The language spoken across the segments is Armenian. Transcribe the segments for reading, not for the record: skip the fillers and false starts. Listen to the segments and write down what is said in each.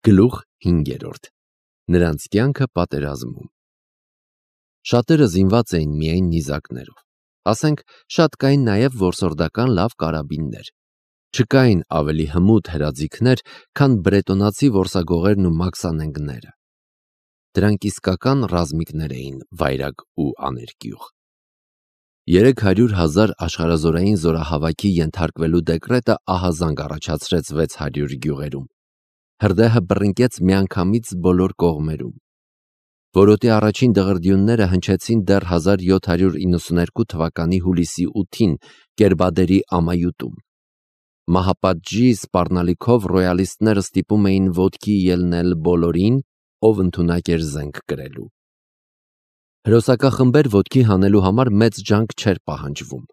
Գլուխ 5. Նրանց կյանքը պատերազմում։ Շատերը զինված էին միայն նիզակներով, ասենք շատ կային նաև որսորդական լավ կարաբիններ, չկային ավելի հմուտ հրաձիգներ, քան բրետոնացի որսագողերն ու մաքսանենգները, դրանք իսկական ռազմիկներ էին, վայրագ ու աներկյուղ։ 300,000 աշխարհազորային զորահավաքի ենթարկվելու դեկրետը ահազանգ առաջացրեց 600 գյուղերում, հրդեհը բռնկեց միանգամից բոլոր կողմերում, որոտի առաջին դղրդյունները հնչեցին դեռ 1792 թվականի հուլիսի 8-ին Կերբադերի ամայութում, մահապատժի սպառնալիքով ռոյալիստները ստիպում էին ոտքի ելնել բոլորին, ով ընդունակ էր զենք կրելու։ Հրոսակախմբեր ոտքի հանելու համար մեծ ջանք չէր պահանջվում,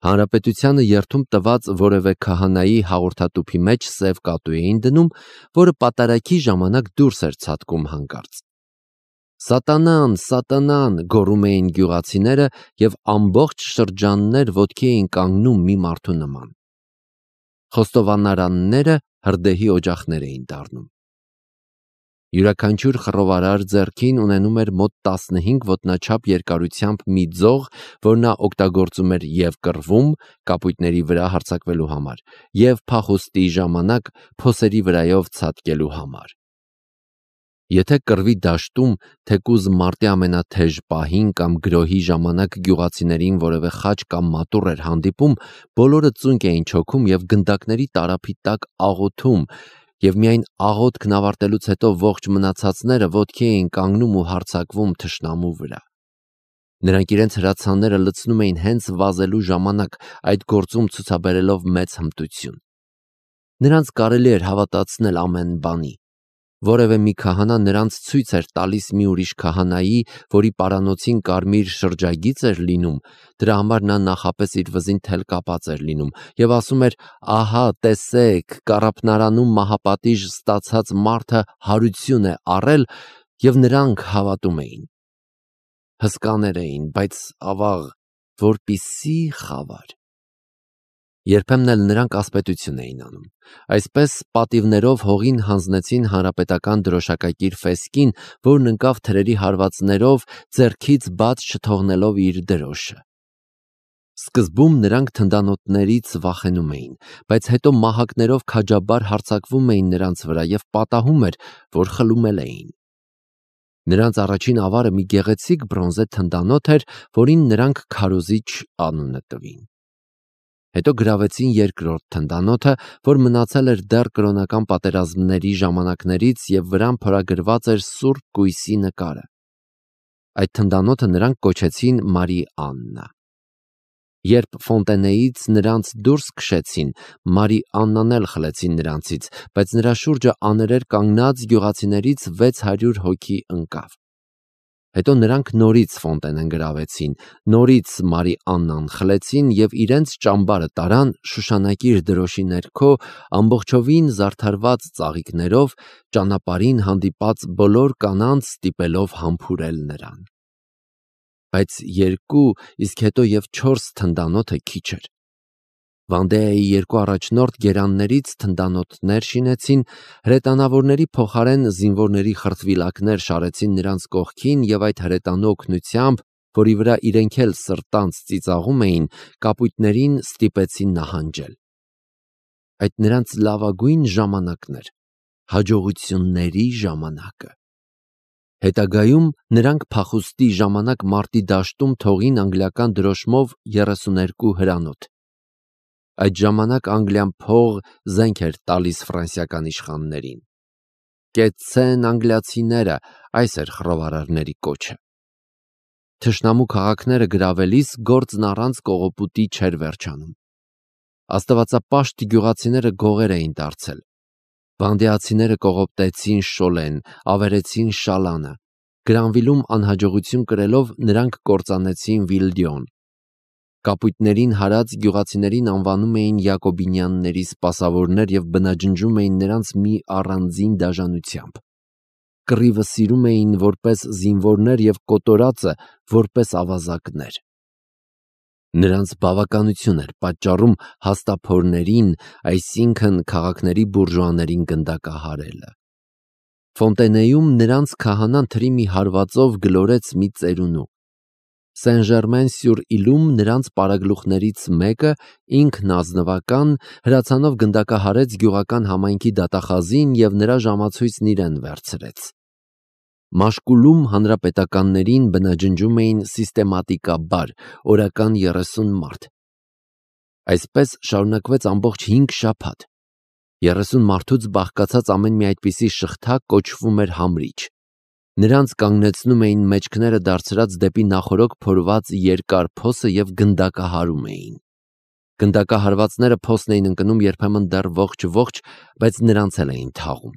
հանրապետությանը երդում տված որևէ քահանայի հաղորդատուփի մեջ սև կատու էին դնում, որը պատարագի ժամանակ դուրս էր ցատկում հանկարծ։ Սատանան, սատանան, գոռում էին գյուղացիները և ամբողջ շրջաններ ոտքի էին կանգնում մի մարդու նման։ Խոստովանարանները հրդեհի օջախներ էին դառնում։ Յուրաքանչյուր խռովարար ձեռքին ունենում էր մոտ 15 ոտնաչափ երկարությամբ մի ձող, որ նա օգտագործում էր և կռվում, կապույտների վրա հարձակվելու համար, և փախուստի ժամանակ փոսերի վրայով ցատկելու համար։ Եթե կռվի դաշտում, թեկուզ մարտի ամենաթեժ պահին կամ գրոհի ժամանակ գյուղացիներին որևէ խաչ կամ մատուռ էր հանդիպում, բոլորը ծունկ էին չոքում և գնդակների տարափի տակ աղոթում, և միայն աղոթքն ավարտելուց հետո ողջ մնացածները ոտքի էին կանգնում ու հարձակվում թշնամու վրա։ Նրանք իրենց հրացանները լցնում էին հենց վազելու ժամանակ, այդ գործում ցուցաբերելով մեծ հմտություն։ Նրանց կարելի էր հավատացնել ամեն բանի։ Որևէ մի քահանա նրանց ցույց էր տալիս մի ուրիշ քահանայի, որի պարանոցին կարմիր շրջագիծ էր լինում, դրա համար նա նախապես իր վզին թել կապած էր լինում և ասում էր. «Ահա, տեսեք, կառափնարանում մահապատիժ ստացած մարդը հարություն է առել», և նրանք հավատում էին։ Հսկաներ էին, բայց ավաղ, որպիսի խավար։ Երբեմն էլ նրանք ասպետություն էին անում։ Այսպես պատիվներով հողին հանձնեցին հանրապետական դրոշակակիր ֆեսկին, որն ընկավ թրերի հարվածներով, ձեռքից բաց չթողնելով իր դրոշը։ Սկզբում նրանք թնդանոթներից վախենում էին, բայց հետո մահակներով քաջաբար հարձակվում էին նրանց վրա և պատահում էր, որ խլումել էին։ Նրանց առաջին ավարը մի գեղեցիկ բրոնզե թնդանոթ էր, որին նրանք Քարոզիչ անունը տվին։ Հետո գրավեցին երկրորդ թնդանոթը, որ մնացել էր դեռ կրոնական պատերազմների ժամանակներից և վրան փորագրված էր Սուրբ Կույսի նկարը։ Այդ թնդանոթը նրանք կոչեցին Մարի Աննա։ Երբ Ֆոնտենեից նրանց դուրս քշեցին, Մարի Աննան էլ խլեցին նրանցից, բայց նրա շուրջը աներեր կանգնած գյուղացիներից 600 հոգի ընկավ։ Հետո նրանք նորից Ֆոնտենեն գրավեցին, նորից Մարի Աննան խլեցին և իրենց ճամբարը տարան շուշանակիր դրոշի ներքո, ամբողջովին զարդարված ծաղիկներով, ճանապարհին հանդիպած բոլոր կանանց ստիպելով համբուրել նրան։ Բայց 2, իսկ հետո և 4 թնդանոթը քիչ էր։ Վանդեայի 2 առաջնորդ գերաններից թնդանոթներ շինեցին, հրետանավորների փոխարեն զինվորների խրտվիլակներ շարեցին նրանց կողքին և այդ հրետանու օգնությամբ, որի վրա իրենք էլ սրտանց ծիծաղում էին, կապույտներին ստիպեցին նահանջել։ Այդ նրանց լավագույն ժամանակն էր, հաջողությունների ժամանակը։ Հետագայում նրանք փախուստի ժամանակ մարտի դաշտում թողին անգլիական դրոշմով 32 հրանոթ։ Այդ ժամանակ Անգլիան փող զենք էր տալիս ֆրանսիական իշխաններին։ Կեցցեն անգլիացիները, այս էր խռովարարների կոչը։ Թշնամու քաղաքները գրավելիս գործն առանց կողոպուտի չէր վերջանում։ Աստվածապաշտ գյուղացիները գողեր էին դարձել։ Վանդեացիները կողոպտեցին Շոլեն, ավերեցին Շալանը։ Գրանվիլում անհաջողություն կրելով նրանք կործանեցին Վիլդիոն։ Կապույտներին հարած գյուղացիներին անվանում էին Յակոբինյանների սպասավորներ և բնաջնջում էին նրանց մի առանձին դաժանությամբ։ Կռիվը սիրում էին որպես զինվորներ և կոտորածը որպես ավազակներ։ Նրանց բավականություն էր պատճառում հաստափորներին, այսինքն քաղաքների բուրժուաներին գնդակահարելը։ Ֆոնտենեյում նրանց քահանան թրի մի հարվածով գլորեց մի ծերունու։ Սեն-Ժերմեն-սյուր-Իլում նրանց պարագլուխներից մեկը ինքնազնվական հրացանով գնդակահարեց գյուղական համայնքի դատախազին և նրա ժամացույցն իրեն վերցրեց։ Մաշկուլում հանրապետականներին բնաջնջում էին սիստեմատիկաբար օրական 30 մարդ։ Այսպես շարունակվեց ամբողջ 5 շաբաթ։ 30 մարդուց բաղկացած ամեն մի այդպիսի շղթա կոչվում էր համրիչ։ Նրանց կանգնեցնում էին մեջքները դարձրած դեպի նախորոք փորված երկար փոսը և գնդակահարում էին։ Գնդակահարվածները փոսն էին ընկնում երբեմն դեռ ողջ, բայց նրանց էլ էին թաղում։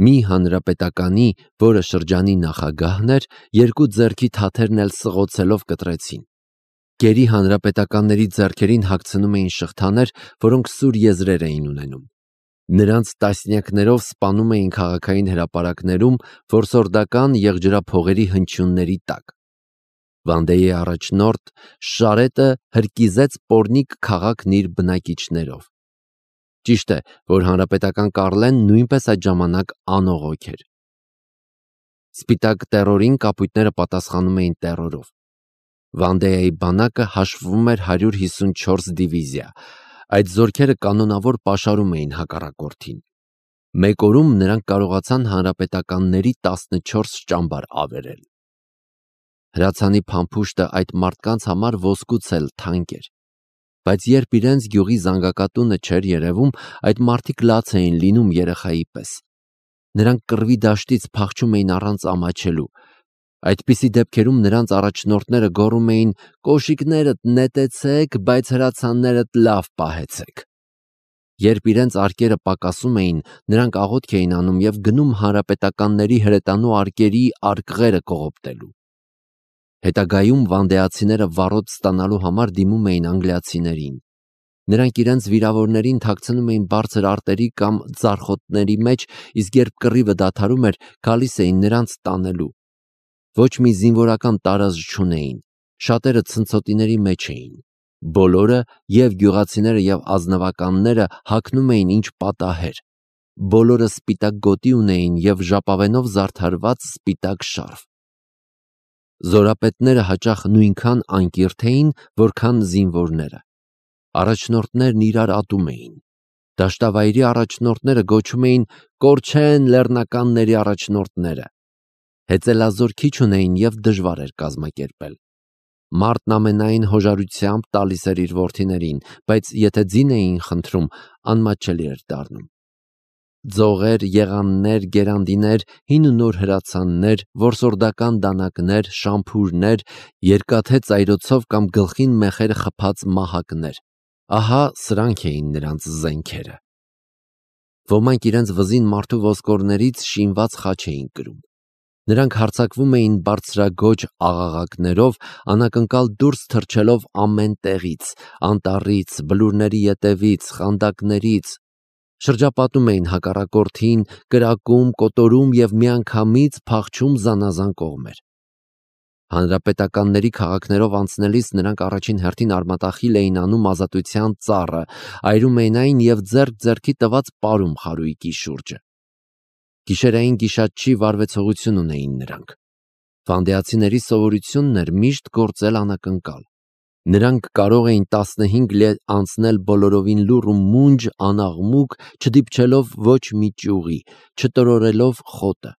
Մի հանրապետականի, որը շրջանի նախագահն էր, երկու ձեռքի թաթերն էլ սղոցելով կտրեցին։ Գերի հանրապետականների ձեռքերին հագցնում էին շղթաներ, որոնք սուր եզրեր էին ունենում։ Նրանց տասնյակներով սպանում էին քաղաքային հրապարակներում որսորդական եղջրափողերի հնչյունների տակ։ Վանդեի առաջնորդ Շարետը հրկիզեց Պորնիկ քաղաքն իր բնակիչներով։ Ճիշտ է, որ հանրապետական Կառլեն նույնպես այդ ժամանակ անողոք էր։ Սպիտակ տերորին կապույտները պատասխանում էին տերորով։ Վանդեայի բանակը հաշվում էր 154 դիվիզիա։ Այդ զորքերը կանոնավոր պաշարում էին հակառակորդին։ Մեկ օրում նրանք կարողացան հանրապետականների 14 ճամբար ավերել։ Հրացանի փամփուշտը այդ մարդկանց համար ոսկուց էլ թանկ էր։ Բայց երբ իրենց գյուղի զանգակատունը չէր երևում, այդ մարդիկ լաց էին լինում երեխայի պես։ Նրանք կռվի դաշտից փախչում էին առանց ամաչելու։ Այդպիսի դեպքերում նրանց առաջնորդները գոռում էին. «Կոշիկներդ նետեցեք, բայց հրացաններդ լավ պահեցեք»։ Երբ իրենց արկերը պակասում էին, նրանք աղոթք էին անում և գնում հանրապետականների հրետանու արկերի արկղերը կողոպտելու։ Հետագայում վանդեացիները վառոդ ստանալու համար դիմում էին անգլիացիներին։ Նրանք իրենց վիրավորներին թաքցնում էին բարձր արտերի կամ ձարխոտների մեջ, իսկ երբ կռիվը դադարում էր, գալիս էին նրանց տանելու։ Ոչ մի զինվորական տարազդ չունեին, շատերը ցնցոտիների մեջ էին։ Բոլորը, և գյուղացիները, և ազնվականները հագնում էին ինչ պատահեր։ Բոլորը սպիտակ գոտի ունեին և ժապավենով զարդարված սպիտակ շարֆ։ Զորապետները հաճախ նույնքան անկիրթ էին, որքան զինվորները։ Առաջնորդներն իրար ատում էին։ Դաշտավայրի առաջնորդները գոչում էին «Կորչեն լեռնականների առաջնորդները»։ Հեծելազոր քիչ ունեին և դժվար էր կազմակերպել։ Մարդն ամենայն հոժարությամբ տալիս էր իր որդիներին, բայց եթե ձին էին խնդրում, անմատչելի էր դառնում։ Ձողեր, եղաններ, գերանդիներ, հին ու նոր հրացաններ, որսորդական դանակներ, շամփուրներ, երկաթե ծայրոցով կամ գլխին մեխերը խփած մահակներ։ Ահա սրանք էին նրանց զենքերը։ Ոմանք իրենց վզին մարդու ոսկորներից շինված խաչ էին կրում։ Նրանք հարձակվում էին բարձրագոճ աղաղակներով, անակնկալ դուրս թռչելով ամեն տեղից, անտառից, բլուրների ետևից, խանդակներից, շրջապատում էին հակառակորդին, կրակում, կոտորում և միանգամից փախչում զանազան կողմեր։ Հանրապետականների քաղաքներով անցնելիս նրանք առաջին հերթին արմատախիլ էին անում ազատության ծառը, այրում էին այն և ձեռք-ձեռքի տված պարում խարույկի շուրջը։ Գիշերային գիշատչի վարվեցողություն ունեին նրանք։ Վանդեացիների սովորությունն էր միշտ գործել անակնկալ։ Նրանք կարող էին 15 լետ անցնել բոլորովին լուռ ու մունջ, անաղմուկ, չդիպչելով ոչ մի ճյուղի, չտրորելով խոտը։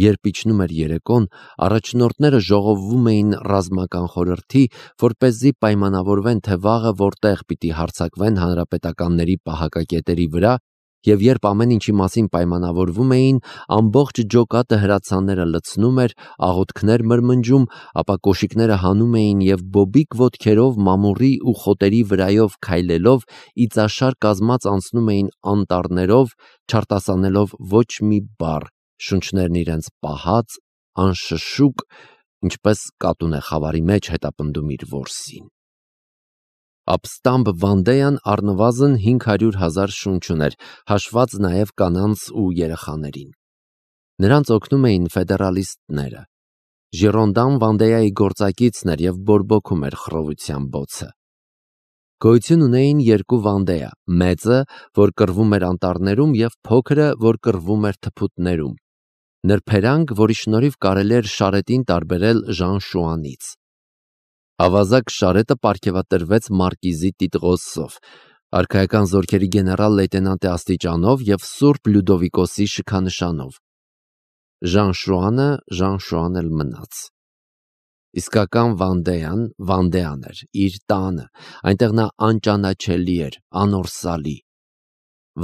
Երբ իջնում էր երեկոն, առաջնորդները ժողովվում էին ռազմական խորհրդի, որպեսզի պայմանավորվեն, թե վաղը որտեղ պիտի հարձակվեն հանրապետականների պահակակետերի վրա, և երբ ամեն ինչի մասին պայմանավորվում էին, ամբողջ ջոկատը հրացանները լցնում էր, աղոթքներ մրմնջում, ապա կոշիկները հանում էին և բոբիկ ոտքերով մամուռի ու խոտերի վրայով քայլելով իծաշար կազմած անցնում էին անտառներով, չարտասանելով ոչ մի բառ, շունչներն իրենց պահած, անշշուկ, ինչպես կատուն է խավարի մեջ հետապնդում իր որսին։ Ապստամբ Վանդեան առնվազն 500,000 շունչ ուներ, հաշված նաև կանանց ու երեխաներին։ Նրանց օգնում էին ֆեդերալիստները։ Ժիրոնդան Վանդեայի գործակիցն էր և բորբոքում էր խռովության բոցը։ Գոյություն ունեին երկու Վանդեա, մեծը, որ կռվում էր անտառներում, և փոքրը, որ կռվում էր թփուտներում, նրբերանգ, որի շնորհիվ կարելի էր Շարետին տարբերել Ժան-Շուանից։ Ավազակ Շարետը պարգևատրվեց մարկիզի տիտղոսով, արքայական զորքերի գեներալ լեյտենանտի աստիճանով և Սուրբ Լյուդովիկոսի շքանշանով։ Ժան-Շուանը Ժան-Շուան էլ մնաց։ Իսկական Վանդեան էր, իր տանը, այնտեղ նա անճանաչելի էր, անորսալի։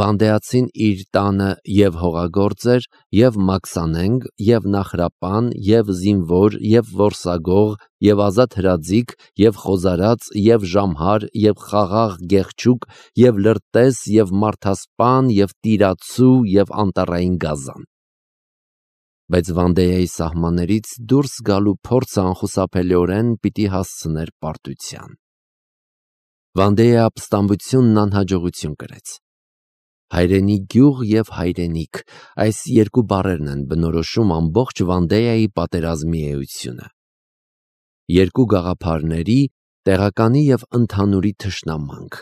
Վանդեացին իր տանը և հողագործ էր, և մաքսանենգ, և նախրապան, և զինվոր, և որսագող, և ազատ հրաձիգ, և խոզարած, և ժամհար, և խաղաղ գեղչուկ, և լրտես, և մարդասպան, և տիրացու, և անտառային գազան։ Բայց Վանդեայի սահմաններից դուրս գալու փորձը անխուսափելիորեն պիտի հասցներ պարտության։ Վանդեայի ապստամբությունն անհաջողություն կրեց։ Հայրենի գյուղ և հայրենիք, այս երկու բառերն են բնորոշում ամբողջ Վանդեայի պատերազմի էությունը։ Երկու գաղափարների, տեղականի և ընդհանուրի թշնամանք։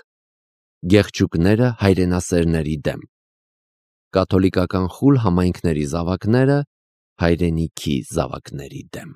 Գեղչուկները հայրենասերների դեմ։ Կաթոլիկական խուլ համայնքների զավակները հայրենիքի զավակների դեմ։